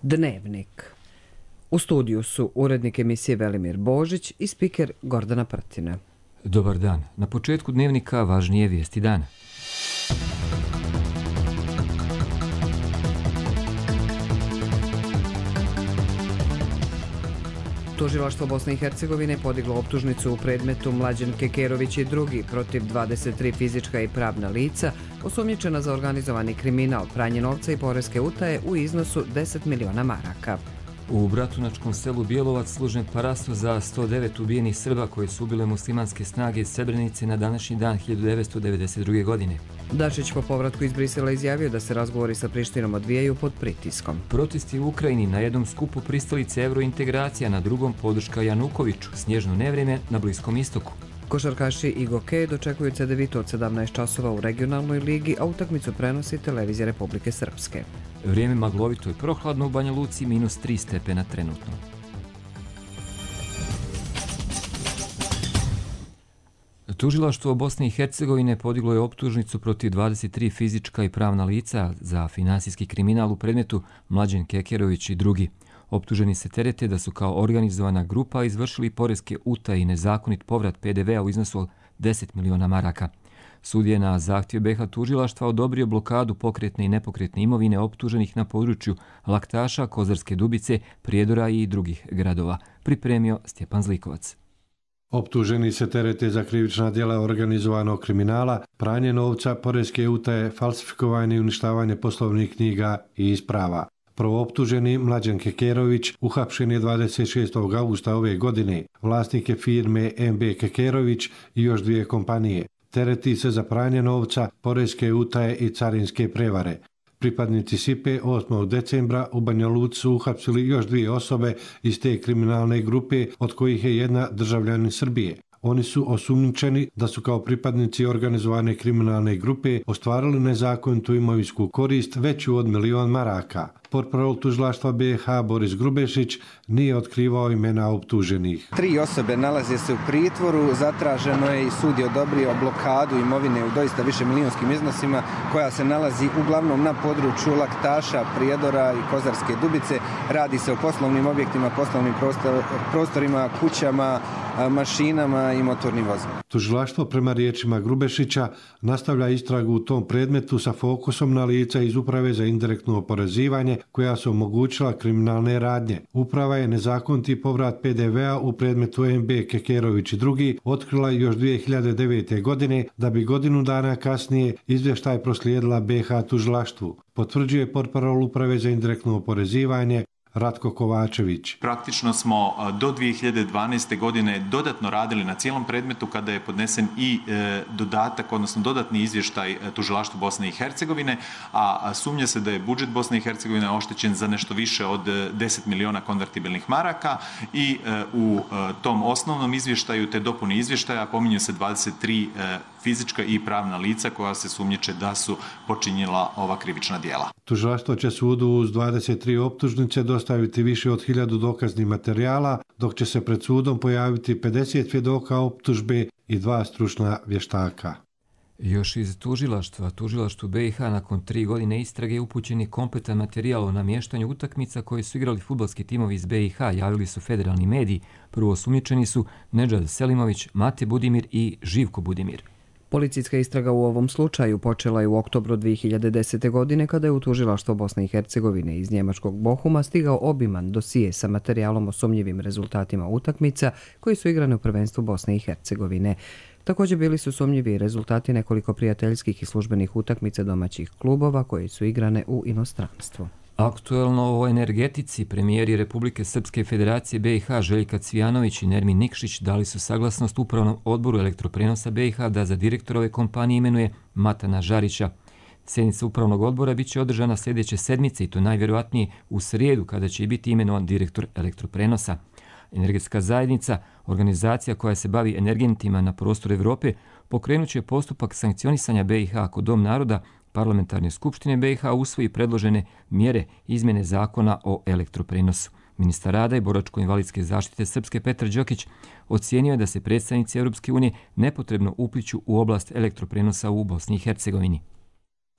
Dnevnik. U studiju su urednik emisije Velimir Božić i spiker Gordana Prtina. Dobar dan. Na početku dnevnika važnije vijesti dana. Tužilaštvo Bosne i Hercegovine podiglo optužnicu u predmetu Mlađan Kekerović i drugi protiv 23 fizička i pravna lica osumnjičena za organizovani kriminal, pranje novca i poreske utaje u iznosu 10 miliona maraka. U bratunačkom selu Bjelovac služen parasto za 109 ubijenih Srba koje su ubile muslimanske snage iz Srebrenice na današnji dan 1992. godine. Dačić po povratku iz Brisela izjavio da se razgovori sa Prištinom odvijaju pod pritiskom. Protesti u Ukrajini, na jednom skupu pristalice evrointegracija, na drugom podrška Janukoviću, snježno nevrijeme na Bliskom istoku. Košarkaši i Gokej dočekuju Cedevitu od 17 časova u regionalnoj ligi, a utakmicu prenosi Televizija Republike Srpske. Vrijeme maglovito i prohladno u Banja Luci, -3 stepena trenutno. Tužilaštvo Bosne i Hercegovine podiglo je optužnicu protiv 23 fizička i pravna lica za finansijski kriminal u predmetu Mlađan Kekerović i drugi. Optuženi se terete da su kao organizovana grupa izvršili poreske utaje i nezakonit povrat PDV-a u iznosu od 10 miliona maraka. Sud je na zahtjev BiH tužilaštva odobrio blokadu pokretne i nepokretne imovine optuženih na području Laktaša, Kozarske Dubice, Prijedora i drugih gradova. Pripremio Stjepan Zlikovac. Optuženi se terete za krivična djela organizovanog kriminala, pranje novca, poreske utaje, falsifikovanje i uništavanje poslovnih knjiga i isprava. Prvooptuženi Mlađan Kekerović uhapšen je 26. augusta ove godine. Vlasnik je firme MB Kekerović i još 2 kompanije. Tereti se za pranje novca, poreske utaje i carinske prevare. Pripadnici SIPE 8. decembra u Banja Luci su uhapsili još 2 osobe iz te kriminalne grupe, od kojih je jedna državljanin Srbije. Oni su osumnjičeni da su kao pripadnici organizovane kriminalne grupe ostvarili nezakonitu imovinsku korist veću od 1 milion maraka. Portparol tužilaštva BiH Boris Grubešić nije otkrivao imena optuženih. 3 osobe nalaze se u pritvoru, zatraženo je i sud je odobrio blokadu imovine u doista višemilionskim iznosima koja se nalazi uglavnom na području Laktaša, Prijedora i Kozarske Dubice. Radi se o poslovnim objektima, poslovnim prostorima, kućama, mašinama i motornim vozilima. Tužilaštvo prema riječima Grubešića nastavlja istragu u tom predmetu sa fokusom na lica iz Uprave za indirektno oporezivanje koja su omogućila kriminalne radnje. Uprava je nezakoniti povrat PDV-a u predmetu MB Kekerović i drugi otkrila još 2009. godine, da bi godinu dana kasnije izvještaj proslijedila BiH tužilaštvu. Potvrđuje portparol Uprave za indirektno oporezivanje Ratko Kovačević. Praktično smo do 2012. godine dodatno radili na cijelom predmetu kada je podnesen i dodatak, odnosno dodatni izvještaj tužilaštvu Bosne i Hercegovine, a sumnja se da je budžet Bosne i Hercegovine oštećen za nešto više od 10 miliona konvertibilnih maraka i u tom osnovnom izvještaju te dopuni izvještaja pominju se 23 fizička i pravna lica koja se sumnjiče da su počinjela ova krivična djela. Tužilaštvo će sudu uz 23 optužnice dostaviti više od 1000 dokaznih materijala, dok će se pred sudom pojaviti 50 svjedoka optužbe i 2 stručna vještaka. Još iz tužilaštvu BiH nakon 3 godine istrage upućen je kompletan materijal o namještanju utakmica koje su igrali fudbalski timovi iz BiH, javili su federalni mediji. Prvo osumnjičeni su Nedžad Selimović, Mate Budimir i Živko Budimir. Policijska istraga u ovom slučaju počela je u oktobru 2010. godine kada je u tužilaštvo Bosne i Hercegovine iz njemačkog Bohuma stigao obiman dosije sa materijalom o sumnjivim rezultatima utakmica koji su igrane u prvenstvu Bosne i Hercegovine. Također bili su sumnjivi rezultati nekoliko prijateljskih i službenih utakmica domaćih klubova koje su igrane u inostranstvu. Aktuelno o energetici premijeri Republike Srpske Federacije BiH Željka Cvijanović i Nermin Nikšić dali su saglasnost Upravnom odboru elektroprenosa BiH da za direktora ove kompanije imenuje Matana Žarića. Sjednica Upravnog odbora bit će održana sljedeće sedmice i to najvjerojatnije u srijedu kada će biti imenovan direktor elektroprenosa. Energetska zajednica, organizacija koja se bavi energentima na prostoru Europe, pokrenut će postupak sankcionisanja BiH ako Dom naroda Parlamentarne skupštine BiH usvoji predložene mjere izmjene zakona o elektroprenosu. Ministar rada i boračko-invalidske zaštite Srpske Petar Đokić ocijenio je da se predstavnici Europske unije nepotrebno upliću u oblast elektroprenosa u Bosni i Hercegovini.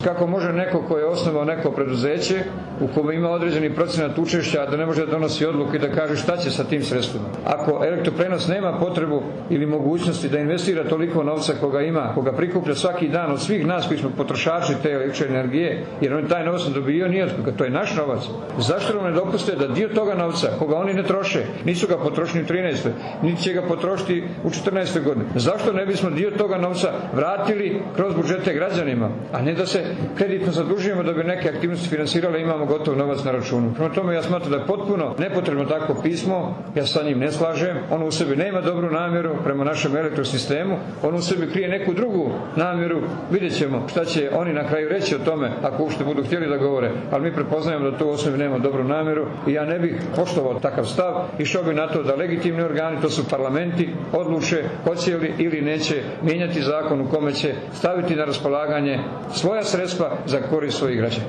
Kako može neko ko je osnovao neko preduzeće u kome ima određeni procenat učešća da ne može da donosi odluku i da kaže šta će sa tim sredstvima? Ako Elektroprenos nema potrebu ili mogućnosti da investira toliko novca koga ima, koga prikuplja svaki dan od svih nas koji smo potrošači te električne energije, jer on taj novac ne dobio nije od koga, to je naš novac. Zašto nam ne dopuste da dio toga novca, koga oni ne troše, nisu ga potrošili u 13. niti će ga potrošiti u 14. godini. Zašto ne bismo dio toga novca vratili kroz budžete građanima, a ne da se kreditno zadužujemo da bi neke aktivnosti finansirale, imamo gotov novac na računu. Prema tome ja smatram da je potpuno nepotrebno takvo pismo, ja sa njim ne slažem, ono u sebi nema dobru namjeru prema našem elektrosistemu, ono u sebi krije neku drugu namjeru, vidjet ćemo šta će oni na kraju reći o tome, ako uopšte budu htjeli da govore, ali mi prepoznajemo da to u osnovi nema dobru namjeru i ja ne bih poštovao takav stav, išao bih na to da legitimni organi, to su parlamenti, odluče hoće li ili neće mijenjati zakon u kome će staviti na raspolaganje svoja sredstva za korist svojih građana.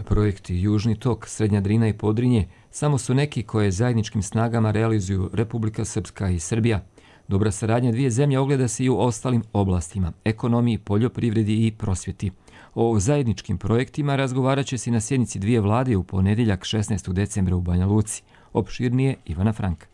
Projekti Južni tok, Srednja Drina i Podrinje samo su neki koje zajedničkim snagama realizuju Republika Srpska i Srbija. Dobra saradnja dvije zemlje ogleda se i u ostalim oblastima, ekonomiji, poljoprivredi i prosvjeti. O zajedničkim projektima razgovarat će se na sjednici dvije vlade u ponedjeljak 16. decembra u Banja Luci. Opširnije Ivana Franka.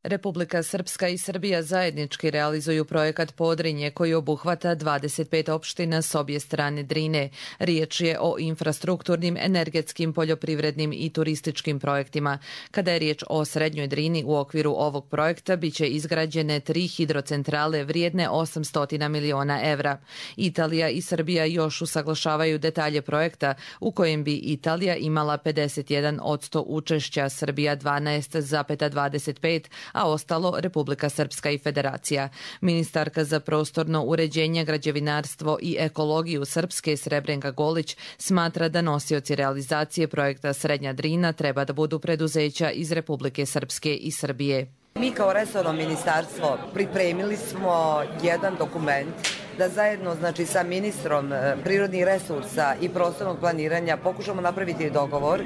Republika Srpska i Srbija zajednički realizuju projekat Podrinje koji obuhvata 25 opština s obje strane Drine. Riječ je o infrastrukturnim, energetskim, poljoprivrednim i turističkim projektima. Kada je riječ o Srednjoj Drini, u okviru ovog projekta biće izgrađene 3 hidrocentrale vrijedne 800 miliona evra. Italija i Srbija još usaglašavaju detalje projekta u kojem bi Italija imala 51% učešća, Srbija 12,25%, a ostalo Republika Srpska i Federacija. Ministarka za prostorno uređenje, građevinarstvo i ekologiju Srpske Srebrenka Golić smatra da nosioci realizacije projekta Srednja Drina treba da budu preduzeća iz Republike Srpske i Srbije. Mi kao resorno ministarstvo pripremili smo jedan dokument da zajedno sa ministrom prirodnih resursa i prostornog planiranja pokušamo napraviti dogovor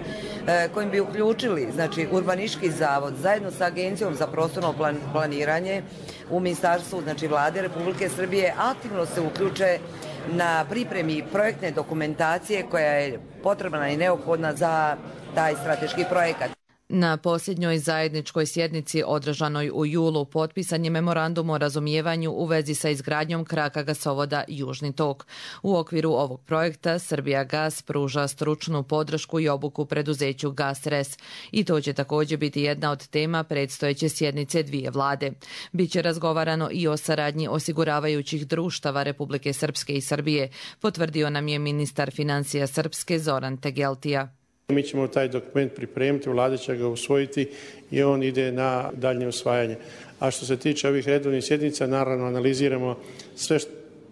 kojim bi uključili Urbanistički zavod zajedno sa Agencijom za prostorno planiranje u ministarstvu Vlade Republike Srbije aktivno se uključe na pripremi projektne dokumentacije koja je potrebna i neophodna za taj strateški projekat. Na posljednjoj zajedničkoj sjednici održanoj u julu potpisan je memorandum o razumijevanju u vezi sa izgradnjom kraka gasovoda Južni tok. U okviru ovog projekta Srbija Gas pruža stručnu podršku i obuku preduzeću GasRes i to će također biti jedna od tema predstojeće sjednice dvije vlade. Biće razgovarano i o saradnji osiguravajućih društava Republike Srpske i Srbije, potvrdio nam je ministar financija Srpske Zoran Tegeltija. Mi ćemo taj dokument pripremiti, vlada će ga usvojiti i on ide na daljnje usvajanje. A što se tiče ovih redovnih sjednica, naravno analiziramo sve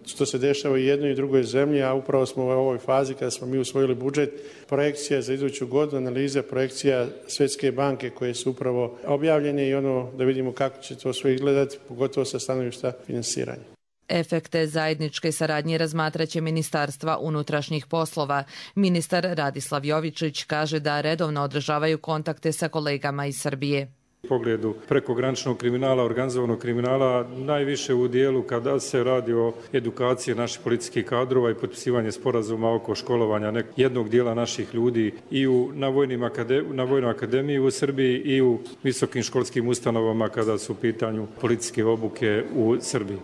što se dešava u jednoj i drugoj zemlji, a upravo smo u ovoj fazi kada smo mi usvojili budžet, projekcija za iduću godinu, analiza projekcija Svjetske banke koje su upravo objavljene i da vidimo kako će to sve izgledati, pogotovo sa stanovišta finansiranja. Efekte zajedničke saradnje razmatraće Ministarstva unutrašnjih poslova. Ministar Radislav Jovičić kaže da redovno održavaju kontakte sa kolegama iz Srbije. U pogledu prekograničnog kriminala, organizovanog kriminala, najviše u dijelu kada se radi o edukaciji naših policijskih kadrova i potpisivanje sporazuma oko školovanja jednog dijela naših ljudi i na Vojnoj akademiji u Srbiji i u visokim školskim ustanovama kada su u pitanju policijske obuke u Srbiji.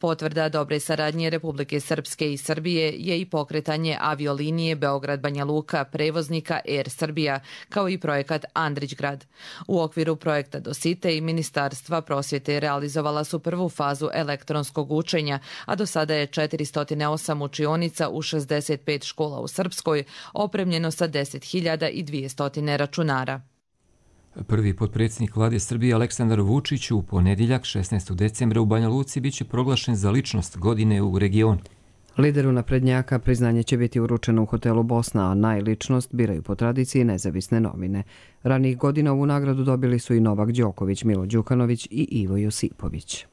Potvrda dobre saradnje Republike Srpske i Srbije je i pokretanje aviolinije Beograd-Banja Luka prevoznika Air Srbija, kao i projekat Andrićgrad. U okviru projekta Dosite i Ministarstva prosvjete realizovala su prvu fazu elektronskog učenja, a do sada je 408 učionica u 65 škola u Srpskoj opremljeno sa 10.200 računara. Prvi potpredsjednik vlade Srbije Aleksandar Vučić u ponedjeljak 16. decembra u Banja Luci biće proglašen za ličnost godine u regionu. Lideru naprednjaka priznanje će biti uručeno u hotelu Bosna, a najličnost biraju po tradiciji nezavisne novine. Ranijih godina ovu nagradu dobili su i Novak Đoković, Milo Đukanović i Ivo Josipović.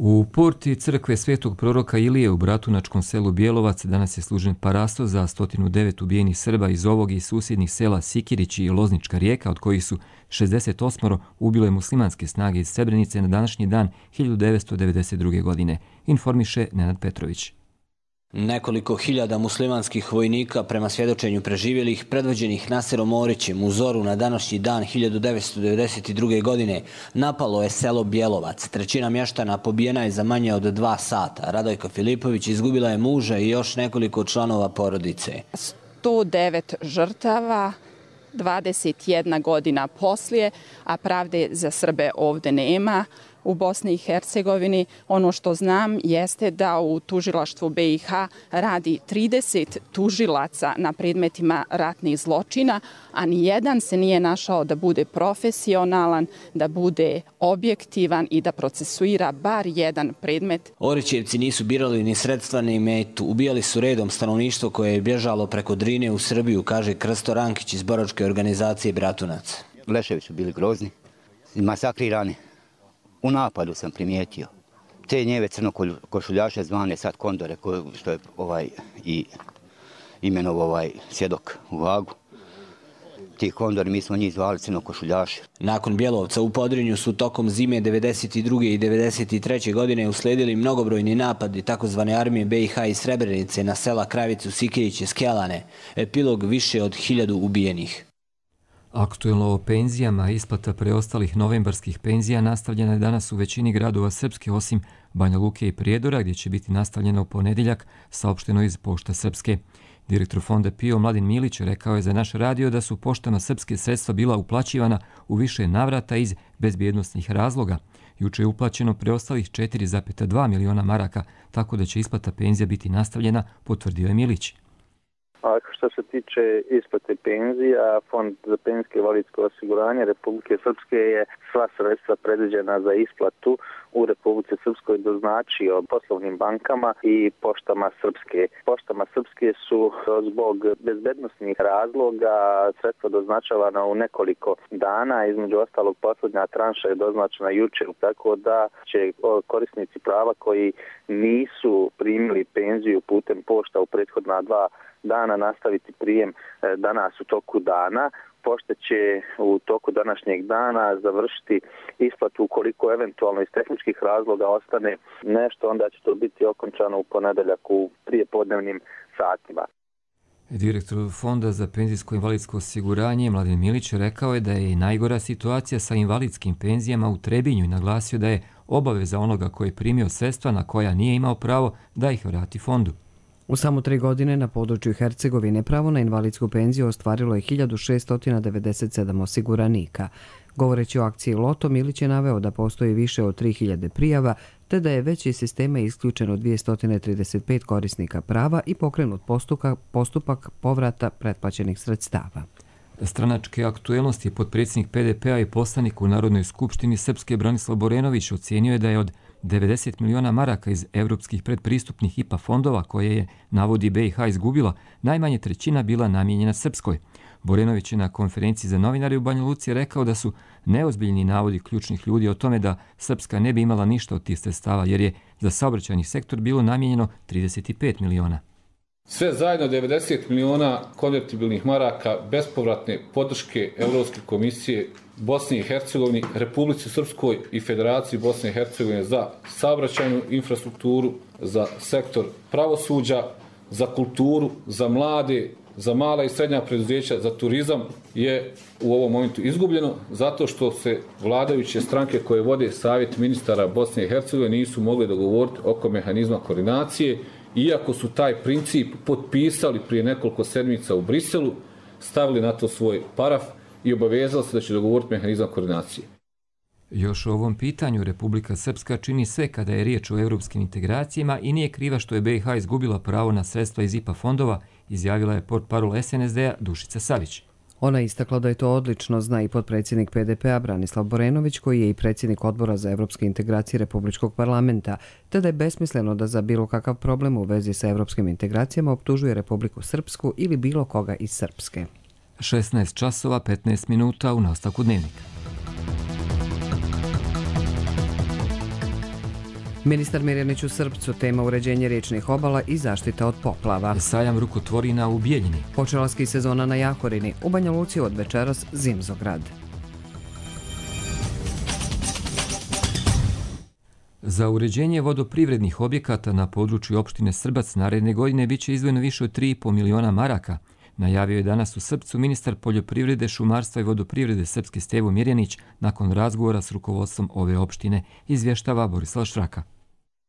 U porti crkve Svetog proroka Ilije u bratunačkom selu Bjelovac danas je služen parasto za 109 ubijenih Srba iz ovog i susjednih sela Sikirić i Loznička Rijeka, od kojih su 68 ubile muslimanske snage iz Srebrenice na današnji dan 1992. godine, informiše Nenad Petrović. Nekoliko hiljada muslimanskih vojnika, prema svjedočenju preživjelih, predvođenih Naserom Orićem u zoru na današnji dan 1992. godine, napalo je selo Bjelovac. Trećina mještana pobijena je za manje od 2 sata. Radojka Filipović izgubila je muža i još nekoliko članova porodice. 109 žrtava, 21 godina poslije, a pravde za Srbe ovdje nema. U Bosni i Hercegovini ono što znam jeste da u tužilaštvu BiH radi 30 tužilaca na predmetima ratnih zločina, a nijedan se nije našao da bude profesionalan, da bude objektivan i da procesuira bar jedan predmet. Orićevci nisu birali ni sredstva ni metu. Ubijali su redom stanovništvo koje je bježalo preko Drine u Srbiju, kaže Krsto Rankić iz boračke organizacije Bratunac. Leševi su bili grozni, masakrirani. U napadu sam primijetio te njeve crnokošuljaše zvane sad kondore, što je i imenov svjedok u Hagu. Ti kondori, mi smo njih zvali crnokošuljaše. Nakon Bjelovca u Podrinju su tokom zime 92. i 93. godine uslijedili mnogobrojni napadi takozvane armije BiH i Srebrenice na sela Kravicu, Sikirić i Skelane. Epilog više od 1000 ubijenih. Aktuelno o penzijama, isplata preostalih novembarskih penzija nastavljena je danas u većini gradova Srpske, osim Banja Luke i Prijedora, gdje će biti nastavljena u ponedjeljak, saopšteno iz Pošta Srpske. Direktor fonda PIO Mladen Milić rekao je za naš radio da su poštama Srpske sredstva bila uplaćivana u više navrata iz bezbjednosnih razloga. Juče je uplaćeno preostalih 4,2 miliona maraka, tako da će isplata penzija biti nastavljena, potvrdio je Milić. Što se tiče isplate penzija, Fond za penzijsko i invalidsko osiguranje Republike Srpske je sva sredstva predviđena za isplatu u Republici Srpskoj doznačio poslovnim bankama i Poštama Srpske. Poštama Srpske su zbog bezbednosnih razloga sredstva doznačavana u nekoliko dana, između ostalog posljednja tranša je doznačena jučer, tako da će korisnici prava koji nisu primili penziju putem pošta u prethodna 2 dana nastaviti prijem danas u toku dana. Pošta će u toku današnjeg dana završiti isplatu ukoliko eventualno iz tehničkih razloga ostane nešto, onda će to biti okončano u ponedjeljak u prijepodnevnim satima. Direktor Fonda za penzijsko i invalidsko osiguranje Mladen Milić rekao je da je najgora situacija sa invalidskim penzijama u Trebinju i naglasio da je obaveza onoga koji je primio sredstva na koja nije imao pravo da ih vrati fondu. U samo 3 godine na području Hercegovine pravo na invalidsku penziju ostvarilo je 1697 osiguranika. Govoreći o akciji Loto, Milić je naveo da postoji više od 3000 prijava, te da je već iz sistema isključeno 235 korisnika prava i pokrenut postupak povrata pretplaćenih sredstava. Stranačke aktuelnosti potpredsjednik PDP-a i poslanik u Narodnoj skupštini Srpske Branislav Borenović ocijenio je da je od 90 miliona maraka iz evropskih predpristupnih IPA fondova koje je, navodi, BiH izgubila, najmanje trećina bila namijenjena Srpskoj. Borenović je na konferenciji za novinare u Banja Luci rekao da su neozbiljni navodi ključnih ljudi o tome da Srpska ne bi imala ništa od tih sredstava jer je za saobraćajni sektor bilo namijenjeno 35 miliona. Sve zajedno 90 miliona konvertibilnih maraka bespovratne podrške Evropske komisije Bosni i Hercegovini, Republici Srpskoj i Federaciji Bosne i Hercegovine za saobraćajnu infrastrukturu, za sektor pravosuđa, za kulturu, za mlade, za mala i srednja preduzeća, za turizam je u ovom momentu izgubljeno zato što se vladajuće stranke koje vode Savjet ministara Bosne i Hercegovine nisu mogli dogovoriti oko mehanizma koordinacije, iako su taj princip potpisali prije nekoliko sedmica u Briselu, stavili na to svoj paraf i obavezali se da će dogovoriti mehanizam koordinacije. Još o ovom pitanju Republika Srpska čini sve kada je riječ o europskim integracijama i nije kriva što je BiH izgubila pravo na sredstva iz IPA fondova, izjavila je portparol SNSD-a Dušica Savić. Ona istakla da je to odlično zna i potpredsjednik PDP-a Branislav Borenović, koji je i predsjednik Odbora za evropske integracije Republičkog parlamenta, te da je besmisleno da za bilo kakav problem u vezi sa evropskim integracijama optužuje Republiku Srpsku ili bilo koga iz Srpske. 16 časova 15 minuta u nastavku dnevnika. Ministar Mirjanić u Srpcu, tema uređenje riječnih obala i zaštita od poplava. Sajam rukotvorina u Bijeljini. Počela ski sezona na Jahorini, u Banja Luci od večeras zimzograd. Za uređenje vodoprivrednih objekata na području opštine Srbac naredne godine biće izdvojeno više od 3,5 miliona maraka. Najavio je danas u Srpcu ministar poljoprivrede, šumarstva i vodoprivrede Srpske Stevo Mirjanić nakon razgovora s rukovodstvom ove opštine, izvještava Borislav Štraka.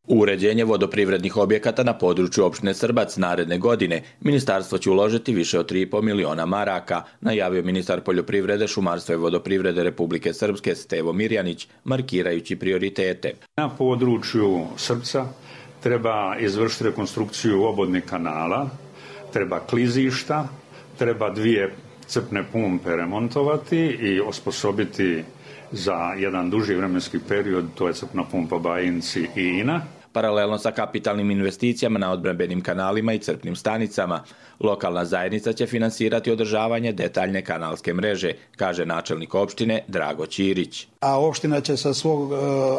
U uređenje vodoprivrednih objekata na području opštine Srbac naredne godine ministarstvo će uložiti više od 3,5 miliona maraka, najavio ministar poljoprivrede, šumarstva i vodoprivrede Republike Srpske Stevo Mirjanić, markirajući prioritete. Na području Srpca treba izvršiti rekonstrukciju obodnih kanala, treba klizišta, treba 2 crpne pumpe remontovati i osposobiti za jedan duži vremenski period, to je crpna pumpa Bajinci i Ina. Paralelno sa kapitalnim investicijama na odbrambenim kanalima i crpnim stanicama, lokalna zajednica će finansirati održavanje detaljne kanalske mreže, kaže načelnik opštine Drago Ćirić. A opština će sa svog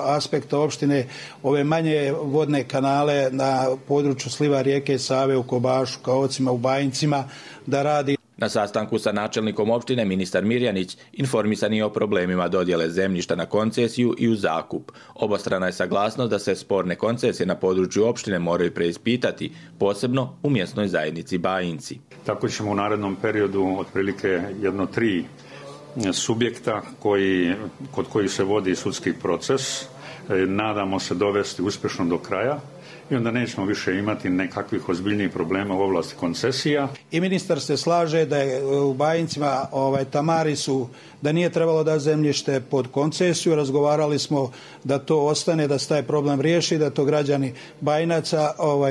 aspekta opštine ove manje vodne kanale na području sliva rijeke Save u Kobašu, Kaocima, u Bajincima da radi. Na sastanku sa načelnikom opštine ministar Mirjanić informisan je o problemima dodjele zemljišta na koncesiju i u zakup. Obostrana je saglasnost da se sporne koncesije na području opštine moraju preispitati, posebno u mjesnoj zajednici Bajinci. Tako ćemo u narednom periodu otprilike 1-3 subjekta kod kojih se vodi sudski proces, nadamo se dovesti uspješno do kraja. I onda nećemo više imati nekakvih ozbiljnijih problema u oblasti koncesija. I ministar se slaže da je u Bajincima Tamari su, da nije trebalo da zemljište pod koncesiju. Razgovarali smo da to ostane, da se taj problem riješi, da to građani Bajinaca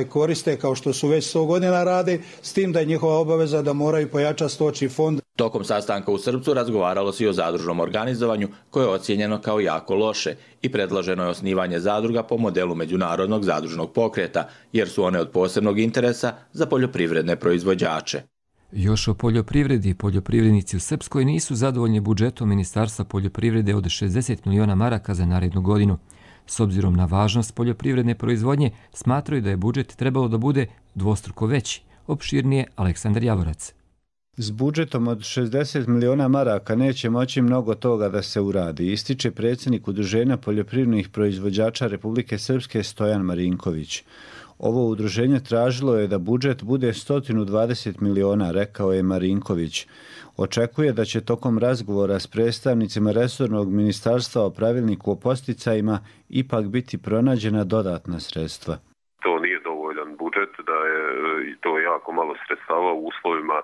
koriste kao što su već 100 godina rade, s tim da je njihova obaveza da moraju pojačati stočni fond. Tokom sastanka u Srpcu razgovaralo se i o zadružnom organizovanju koje je ocijenjeno kao jako loše i predloženo je osnivanje zadruga po modelu međunarodnog zadružnog pokreta, jer su one od posebnog interesa za poljoprivredne proizvođače. Još o poljoprivredi. Poljoprivrednici u Srpskoj nisu zadovoljni budžetom Ministarstva poljoprivrede od 60 miliona maraka za narednu godinu. S obzirom na važnost poljoprivredne proizvodnje, smatraju da je budžet trebalo da bude dvostruko veći. Opširnije Aleksandar Javorac. S budžetom od 60 miliona maraka neće moći mnogo toga da se uradi, ističe predsjednik Udruženja poljoprivrednih proizvođača Republike Srpske Stojan Marinković. Ovo udruženje tražilo je da budžet bude 120 miliona, rekao je Marinković. Očekuje da će tokom razgovora s predstavnicima resornog ministarstva o pravilniku o posticajima ipak biti pronađena dodatna sredstva. To nije dovoljan budžet, da je to jako malo sredstava u uslovima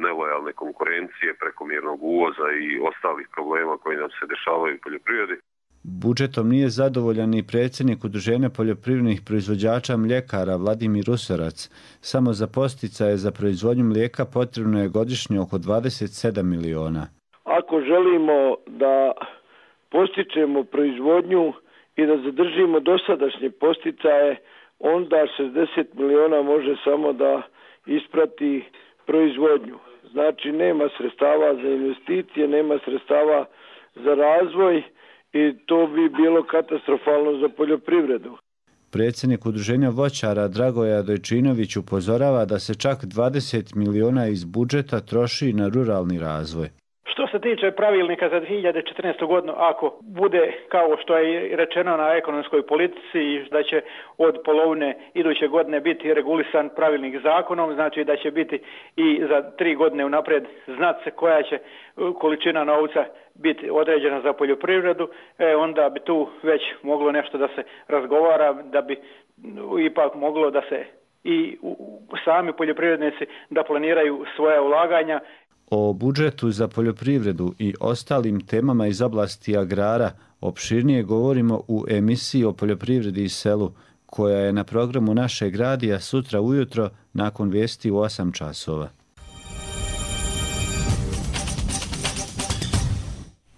nelojalne konkurencije, prekomjernog uvoza i ostalih problema koji nam se dešavaju u poljoprivredi. Budžetom nije zadovoljan i predsjednik Udruženja poljoprivrednih proizvođača mljekara Vladimir Usarac. Samo za podsticaje za proizvodnju mlijeka potrebno je godišnje oko 27 miliona. Ako želimo da postičemo proizvodnju i da zadržimo dosadašnje podsticaje, onda 60 miliona može samo da isprati proizvodnju. Znači nema sredstava za investicije, nema sredstava za razvoj i to bi bilo katastrofalno za poljoprivredu. Predsjednik Udruženja voćara Dragoja Dojčinović upozorava da se čak 20 miliona iz budžeta troši na ruralni razvoj. Što se tiče pravilnika za 2014. godinu, ako bude kao što je rečeno na ekonomskoj politici da će od polovine iduće godine biti regulisan pravilnik zakonom, znači da će biti i za 3 godine unaprijed znat se koja će količina novca biti određena za poljoprivredu, onda bi tu već moglo nešto da se razgovara, da bi ipak moglo da se i sami poljoprivrednici da planiraju svoja ulaganja. O budžetu za poljoprivredu i ostalim temama iz oblasti agrara opširnije govorimo u emisiji o poljoprivredi i selu, koja je na programu našeg radija sutra ujutro nakon vijesti u 8 časova.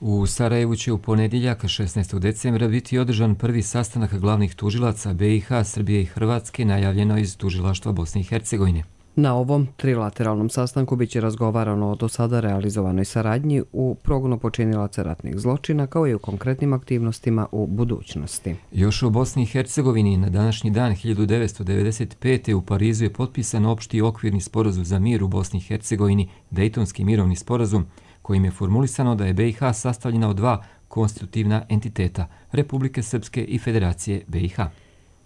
U Sarajevu će u ponedjeljak 16. decembra biti održan prvi sastanak glavnih tužilaca BiH, Srbije i Hrvatske, najavljeno iz tužilaštva Bosne i Hercegovine. Na ovom trilateralnom sastanku biće razgovarano o do sada realizovanoj saradnji u progonu počinilaca ratnih zločina kao i u konkretnim aktivnostima u budućnosti. Još u Bosni i Hercegovini na današnji dan 1995. u Parizu je potpisan opšti okvirni sporazum za mir u Bosni i Hercegovini, Dejtonski mirovni sporazum, kojim je formulisano da je BiH sastavljena od dva konstitutivna entiteta, Republike Srpske i Federacije BiH.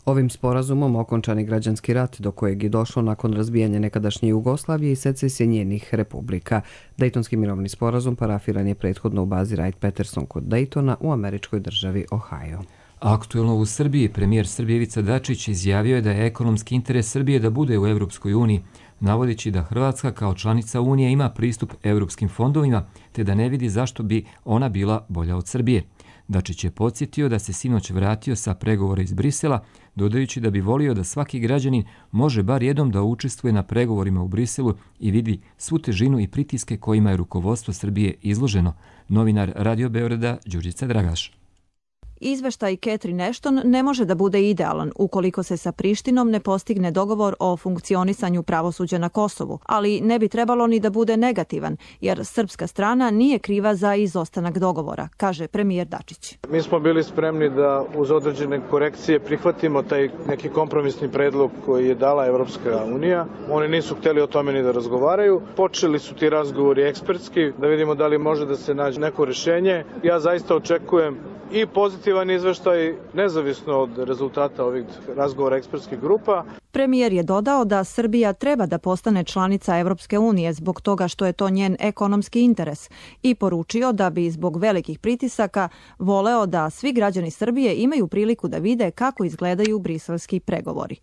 Ovim sporazumom okončan je građanski rat do kojeg je došlo nakon razbijanja nekadašnje Jugoslavije i secesije njenih republika. Dejtonski mirovni sporazum parafiran je prethodno u bazi Wright-Patterson kod Dejtona u američkoj državi Ohio. Aktuelno u Srbiji, premijer Srbije Ivica Dačić izjavio je da je ekonomski interes Srbije da bude u Evropskoj uniji, navodeći da Hrvatska kao članica Unije ima pristup evropskim fondovima, te da ne vidi zašto bi ona bila bolja od Srbije. Dačić je podsjetio da se sinoć vratio sa pregovora iz Brisela, dodajući da bi volio da svaki građanin može bar jednom da učestvuje na pregovorima u Briselu i vidi svu težinu i pritiske kojima je rukovodstvo Srbije izloženo. Novinar Radio Beograda Đurđica Dragaš. Izveštaj Catherine Ashton ne može da bude idealan ukoliko se sa Prištinom ne postigne dogovor o funkcionisanju pravosuđa na Kosovu, ali ne bi trebalo ni da bude negativan, jer srpska strana nije kriva za izostanak dogovora, kaže premijer Dačić. Mi smo bili spremni da uz određene korekcije prihvatimo taj neki kompromisni predlog koji je dala Evropska unija. Oni nisu hteli o tome ni da razgovaraju. Počeli su ti razgovori ekspertski, da vidimo da li može da se nađe neko rešenje. Ja zaista očekujem i pozitivan izveštaj, nezavisno od rezultata ovih razgovora ekspertskih grupa. Premijer je dodao da Srbija treba da postane članica Evropske unije zbog toga što je to njen ekonomski interes i poručio da bi zbog velikih pritisaka voleo da svi građani Srbije imaju priliku da vide kako izgledaju briselski pregovori.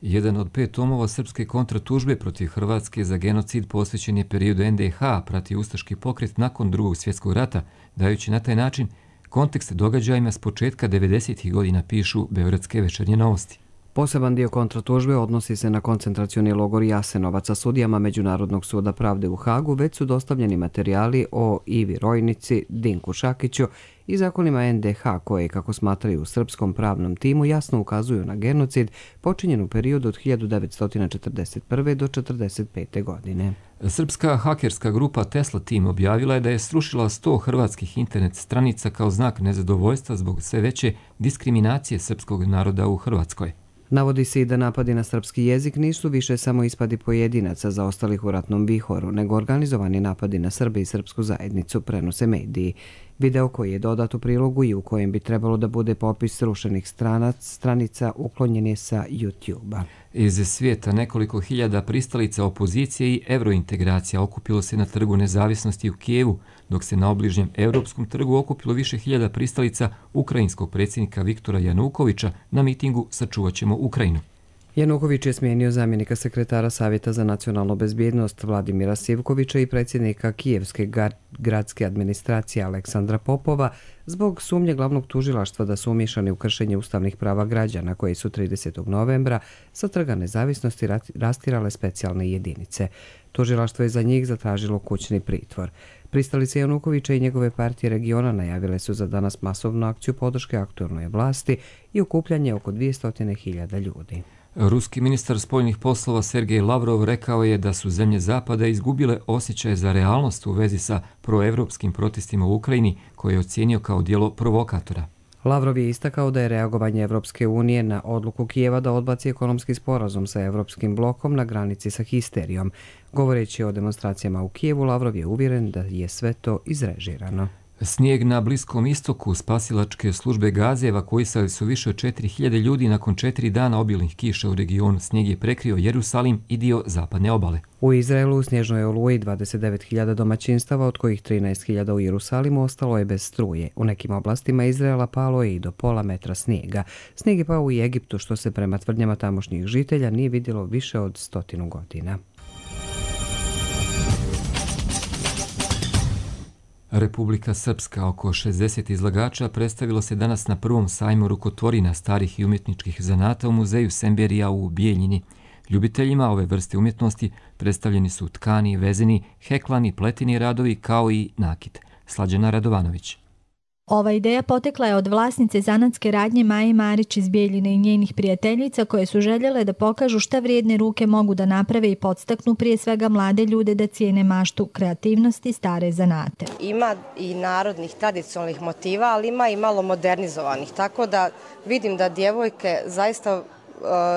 Jedan od 5 tomova srpske kontratužbe protiv Hrvatske za genocid posvećen je periodu NDH, prati ustaški pokret nakon Drugog svjetskog rata, dajući na taj način kontekst događajima s početka 90. godina, pišu Beogradske večernje novosti. Poseban dio kontratužbe odnosi se na koncentracioni logor Jasenovac, a sudijama Međunarodnog suda pravde u Hagu već su dostavljeni materijali o Ivi Rojnici, Dinku Šakiću i zakonima NDH koje, kako smatraju u srpskom pravnom timu, jasno ukazuju na genocid počinjen u periodu od 1941. do 1945. godine. Srpska hakerska grupa Tesla Team objavila je da je srušila 100 hrvatskih internet stranica kao znak nezadovoljstva zbog sve veće diskriminacije srpskog naroda u Hrvatskoj. Navodi se i da napadi na srpski jezik nisu više samo ispadi pojedinaca zaostalih u ratnom vihoru, nego organizovani napadi na Srbe i srpsku zajednicu, prenose mediji. Video koji je dodat u prilogu i u kojem bi trebalo da bude popis srušenih stranica uklonjen je sa YouTube-a. Iz svijeta nekoliko hiljada pristalica opozicije i evrointegracija okupilo se na Trgu nezavisnosti u Kijevu, dok se na obližnjem Europskom trgu okupilo više hiljada pristalica ukrajinskog predsjednika Viktora Janukovića na mitingu Sačuvat ćemo Ukrajinu. Januković je smijenio zamjenika sekretara Savjeta za nacionalnu bezbjednost Vladimira Sivkovića i predsjednika Kijevske gradske administracije Aleksandra Popova zbog sumnje glavnog tužilaštva da su umiješani u kršenje ustavnih prava građana koji su 30. novembra sa Trga nezavisnosti rastirale specijalne jedinice. Tužilaštvo je za njih zatražilo kućni pritvor. Pristalice Janukovića i njegove partije regiona najavile su za danas masovnu akciju podrške aktuelnoj vlasti i okupljanje oko 200.000 ljudi. Ruski ministar spoljnih poslova Sergej Lavrov rekao je da su zemlje Zapada izgubile osjećaj za realnost u vezi sa proevropskim protestima u Ukrajini, koje je ocijenio kao djelo provokatora. Lavrov je istakao da je reagovanje Evropske unije na odluku Kijeva da odbaci ekonomski sporazum sa Evropskim blokom na granici sa histerijom. Govoreći o demonstracijama u Kijevu, Lavrov je uvjeren da je sve to izrežirano. Snijeg na Bliskom istoku, spasilačke službe Gaze evakuisali su više od 4.000 ljudi nakon 4 dana obilnih kiša u regionu. Snijeg je prekrio Jerusalim i dio zapadne obale. U Izraelu u snježnoj oluji 29.000 domaćinstava, od kojih 13.000 u Jerusalimu, ostalo je bez struje. U nekim oblastima Izraela palo je i do pola metra snijega. Snijeg je pao u Egiptu, što se prema tvrdnjama tamošnjih žitelja nije vidjelo više od 100 godina. Republika Srpska, oko 60 izlagača, predstavilo se danas na prvom sajmu rukotvorina starih i umjetničkih zanata u muzeju Semberija u Bijeljini. Ljubiteljima ove vrste umjetnosti predstavljeni su tkani, vezeni, heklani, pleteni radovi kao i nakit. Slađana Radovanović. Ova ideja potekla je od vlasnice zanatske radnje Maje Marić iz Bijeljine i njenih prijateljica koje su željele da pokažu šta vrijedne ruke mogu da naprave i podstaknu prije svega mlade ljude da cijene maštu, kreativnost i stare zanate. Ima i narodnih tradicionalnih motiva, ali ima i malo modernizovanih, tako da vidim da djevojke zaista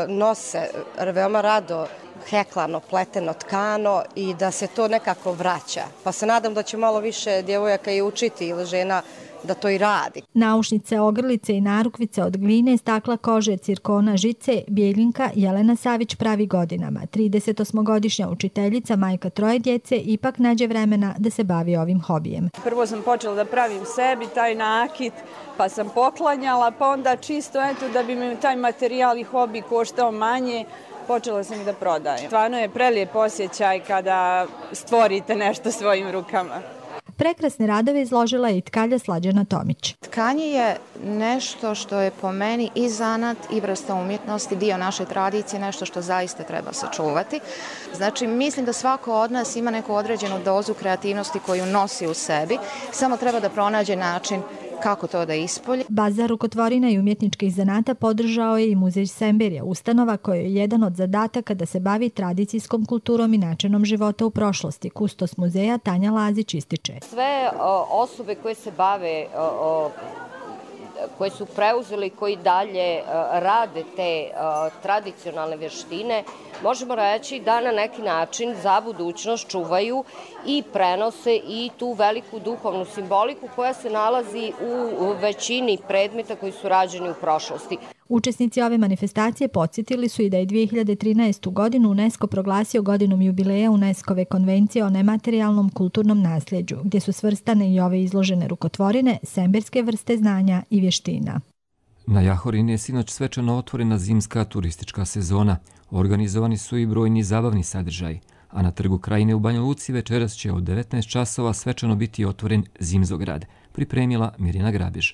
nose veoma rado heklano, pleteno tkano i da se to nekako vraća. Pa se nadam da će malo više djevojaka i učiti ili žena da to i radi. Naušnice, ogrlice i narukvice od gline, stakla, kože, cirkona, žice, Bijeljinka Jelena Savić pravi godinama. 38-godišnja učiteljica, majka 3 djece, ipak nađe vremena da se bavi ovim hobijem. Prvo sam počela da pravim sebi taj nakit, pa sam poklanjala, pa onda čisto da bi mi taj materijal i hobi koštao manje, počela sam i da prodajem. Stvarno je prelijep osjećaj kada stvorite nešto svojim rukama. Prekrasne radove izložila je i tkalja Slađana Tomić. Tkanje je nešto što je po meni i zanat i vrsta umjetnosti, dio naše tradicije, nešto što zaista treba sačuvati. Znači, mislim da svako od nas ima neku određenu dozu kreativnosti koju nosi u sebi, samo treba da pronađe način kako to da ispolji. Bazar rukotvorina i umjetničkih zanata podržao je i Muzej Semberija, ustanova koja je jedan od zadataka da se bavi tradicijskom kulturom i načinom života u prošlosti. Kustos muzeja Tanja Lazić ističe. Sve osobe koje se bave, koje su preuzeli, koji dalje rade te tradicionalne vještine, možemo reći da na neki način za budućnost čuvaju i prenose i tu veliku duhovnu simboliku koja se nalazi u većini predmeta koji su rađeni u prošlosti. Učesnici ove manifestacije podsjetili su i da je 2013. godinu UNESCO proglasio godinom jubileja UNESCO-ve konvencije o nematerijalnom kulturnom nasljeđu, gdje su svrstane i ove izložene rukotvorine, semberske vrste znanja i vještina. Na Jahorini je sinoć svečano otvorena zimska turistička sezona. Organizovani su i brojni zabavni sadržaj, a na Trgu Krajine u Banja Luci večeras će od 19 časova svečano biti otvoren Zimzograd, pripremila Mirjana Grabež.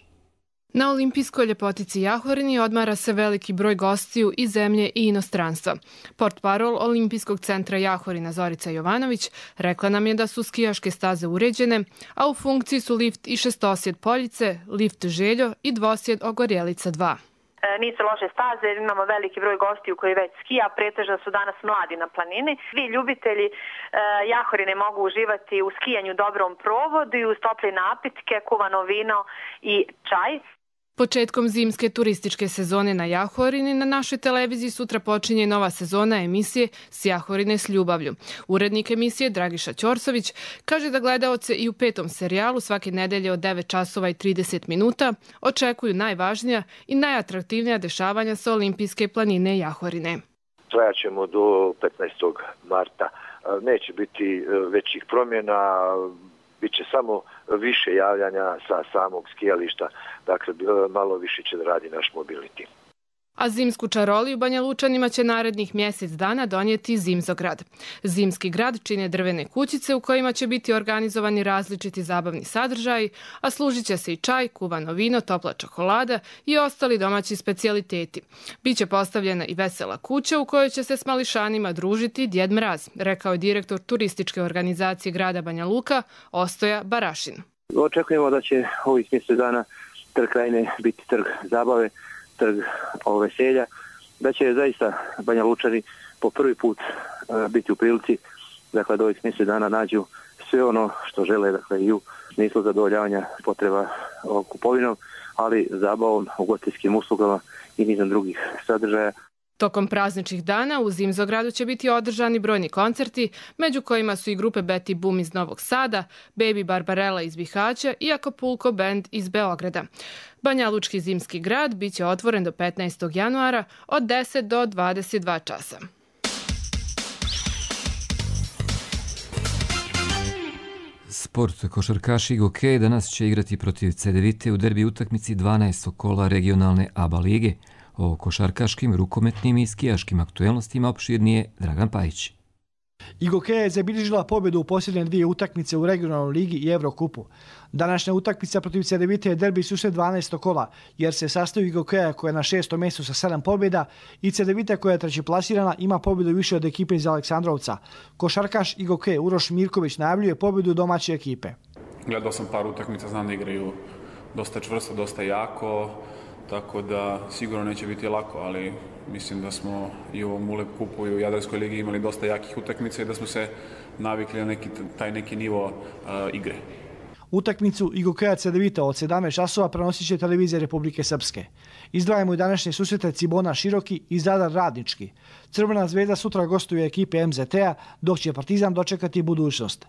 Na olimpijskoj ljepotici Jahorini odmara se veliki broj gostiju iz zemlje i inostranstva. Portparol Olimpijskog centra Jahorina Zorica Jovanović rekla nam je da su skijaške staze uređene, a u funkciji su lift i šestosjed Poljice, lift Željo i dvosjed Ogorjelica 2. Nisu loše staze, imamo veliki broj gostiju koji već skija, pretežno su danas mladi na planini. Svi ljubitelji Jahorine mogu uživati u skijanju dobrom provodu i uz tople napitke, kuvano vino i čaj. Početkom zimske turističke sezone na Jahorini na našoj televiziji sutra počinje nova sezona emisije S Jahorine s ljubavlju. Urednik emisije Dragiša Ćorsović kaže da gledaoce i u 5. serijalu svake nedelje od 9 časova i 30 minuta očekuju najvažnija i najatraktivnija dešavanja sa olimpijske planine Jahorine. Trajaćemo do 15. marta. Neće biti većih promjena, bit će samo više javljanja sa samog skijališta, dakle malo više će da radi naš mobilni tim. A zimsku čaroliju Banja Lučanima će narednih mjesec dana donijeti Zimzograd. Zimski grad čine drvene kućice u kojima će biti organizovani različiti zabavni sadržaji, a služit će se i čaj, kuvano vino, topla čokolada i ostali domaći specijaliteti. Biće postavljena i vesela kuća u kojoj će se s mališanima družiti Djed Mraz, rekao je direktor turističke organizacije grada Banja Luka Ostoja Barašin. Očekujemo da će ovih mjesec dana Trg Krajine biti trg zabave, trg veselja, da će zaista Banja Lučani po prvi put biti u prilici da ovih mjesec dana nađu sve ono što žele, dakle i u smislu zadovoljavanja potreba kupovinom, ali zabavom, ugostiteljskim uslugama i nizom drugih sadržaja. Tokom prazničnih dana u Zimzogradu će biti održani brojni koncerti, među kojima su i grupe Betty Boom iz Novog Sada, Baby Barbarella iz Bihaća i Acapulco Band iz Beograda. Banja Lučki zimski grad bit će otvoren do 15. januara od 10 do 22 časa. Sport. Košarkaši Gokej danas će igrati protiv Cedevite u derbi utakmici 12. kola regionalne ABA lige. O košarkaškim, rukometnim i skijaškim aktuelnostima opširnije Dragan Pajić. Gokeja je zabilježila pobjedu u posljednje 2 utakmice u regionalnoj ligi i Evrokupu. Današnja utakmica protiv Cedevite je derbi susret 12. kola, jer se sastoji Gokeja koja je na 6. mjestu sa 7 pobjeda i Cedevite koja je trećeplasirana ima pobjedu više od ekipe iz Aleksandrovca. Košarkaš Gokej Uroš Mirković najavljuje pobjedu domaće ekipe. Gledao sam par utakmica, znam da igraju dosta čvrsto, dosta jako, tako da sigurno neće biti lako, ali mislim da smo i u ovom ULEB kupu i u Jadranskoj ligi imali dosta jakih utakmica i da smo se navikli na taj neki nivo igre. Utakmicu IGOK-a Cedevita od 17 časova prenosit će televizija Republike Srpske. Izdvajamo i današnje susrete Cibona Široki i Zadar Radnički. Crvena zvezda sutra gostuje ekipe MZT-a, dok će Partizan dočekati budućnost.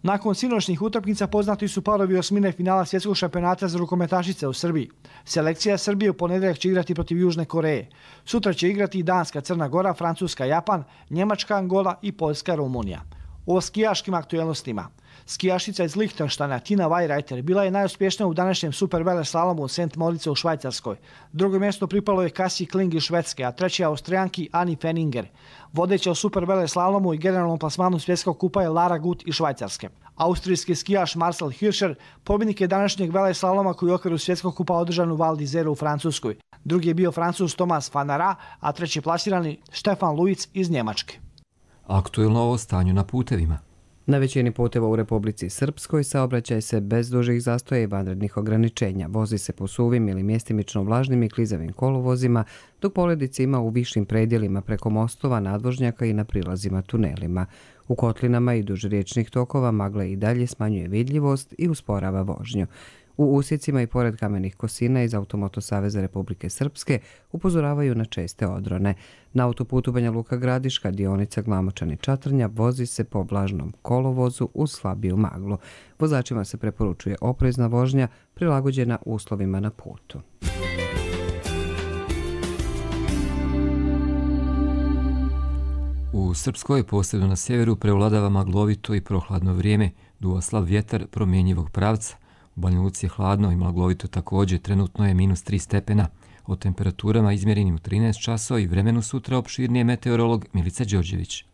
Nakon sinoćnih utakmica poznati su parovi osmine finala svjetskog šampionata za rukometašice u Srbiji. Selekcija Srbije u ponedjeljak će igrati protiv Južne Koreje. Sutra će igrati Danska, Crna Gora, Francuska, Japan, Njemačka, Angola i Poljska, Rumunija. O skijaškim aktuelnostima. Skijašica iz Lihtenštajna Tina Weirreiter bila je najuspješnija u današnjem superveleslalomu u St. Moritzu u Švajcarskoj. Drugo mjesto pripalo je Cassie Kling iz Švedske, a treće Austrijanki Anni Fenninger. Vodeća u superveleslalomu i generalnom plasmanu svjetskog kupa je Lara Gut iz Švajcarske. Austrijski skijaš Marcel Hirscher pobjednik je današnjeg veleslaloma koji je u okviru svjetskog kupa održan u Val d'Isère u Francuskoj. Drugi je bio Francuz Thomas van Aert, a treći plasirani Stefan Luiz iz Njemačke. Aktuelno o stanju na putevima. Na većini puteva u Republici Srpskoj saobraćaj se bez dužih zastoja i vanrednih ograničenja. Vozi se po suvim ili mjestimično vlažnim i klizavim kolovozima, dok poledice ima u višim predjelima preko mostova, nadvožnjaka i na prilazima tunelima. U kotlinama i duž riječnih tokova magla i dalje smanjuje vidljivost i usporava vožnju. U usjecima i pored kamenih kosina iz Automoto Saveza Republike Srpske upozoravaju na česte odrone. Na autoputu Banja Luka Gradiška, dionica Glamočani-Čatrnja, vozi se po vlažnom kolovozu uz slabiju maglu. Vozačima se preporučuje oprezna vožnja prilagođena uslovima na putu. U Srpskoj, posebno na sjeveru, prevladava maglovito i prohladno vrijeme, duva slab vjetar promjenjivog pravca. U Banja Luci je hladno i maglovito također, trenutno je -3 stepena. O temperaturama izmjerenim u 13 časova i vremenu sutra opširnije meteorolog Milica Đorđević.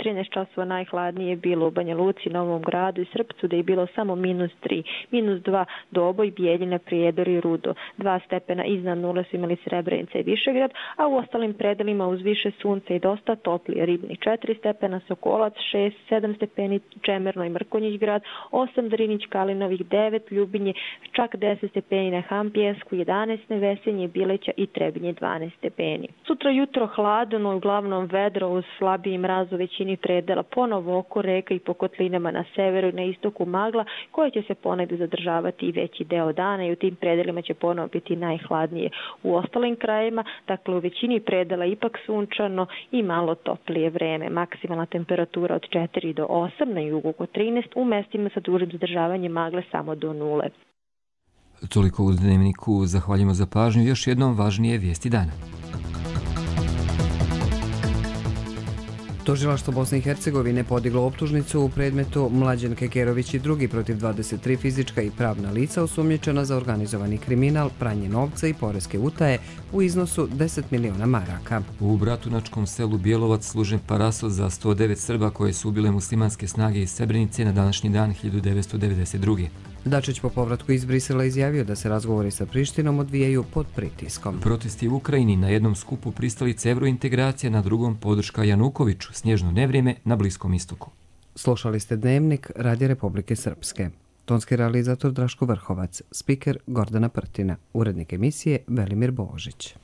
13 časova najhladnije je bilo u Banja Luci, Novom Gradu i Srpcu, da je bilo samo -3, -2 Doboj, Bijeljina, Prijedor i Rudo. 2 stepena iznad nule su imali Srebrenica i Višegrad, a u ostalim predelima uz više sunca i dosta toplije. Ribnik 4 stepena, Sokolac 6, 7 stepeni, Čemerno i Mrkonjić grad, 8 Drinić, Kalinovih 9, Ljubinje, čak 10 stepeni na Hampijesku, 11 Nevesenje, Bileća i Trebinje 12 stepeni. Sutra jutro hladno i uglavnom vedro uz slabiji mraz u većini predela, ponovo oko reka i po kotlinama na severu i na istoku magla koja će se ponegdje zadržavati i veći deo dana i u tim predelima će ponovo biti najhladnije. U ostalim krajima, dakle u većini predela ipak sunčano i malo toplije vreme. Maksimalna temperatura od 4 do 8, na jugu oko 13, u mestima sa dužim zadržavanjem magle samo do 0. Toliko u Dnevniku, zahvaljujemo za pažnju. Još jednom važnije vijesti dana. Tužilaštvo Bosne i Hercegovine podiglo optužnicu u predmetu Mlađan Kekerović i drugi protiv 23 fizička i pravna lica osumnjičena za organizovani kriminal, pranje novca i poreske utaje u iznosu 10 miliona maraka. U Bratunačkom selu Bjelovac služen parasol za 109 Srba koje su ubile muslimanske snage iz Srebrenice na današnji dan 1992. Dačić po povratku iz Brisela izjavio da se razgovori sa Prištinom odvijaju pod pritiskom. Protesti u Ukrajini, na jednom skupu pristalice evrointegracija, na drugom podrška Janukoviću, snježno nevrijeme na Bliskom istoku. Slušali ste Dnevnik Radija Republike Srpske. Tonski realizator Draško Vrhovac, spiker Gordana Prtina, urednik emisije Velimir Božić.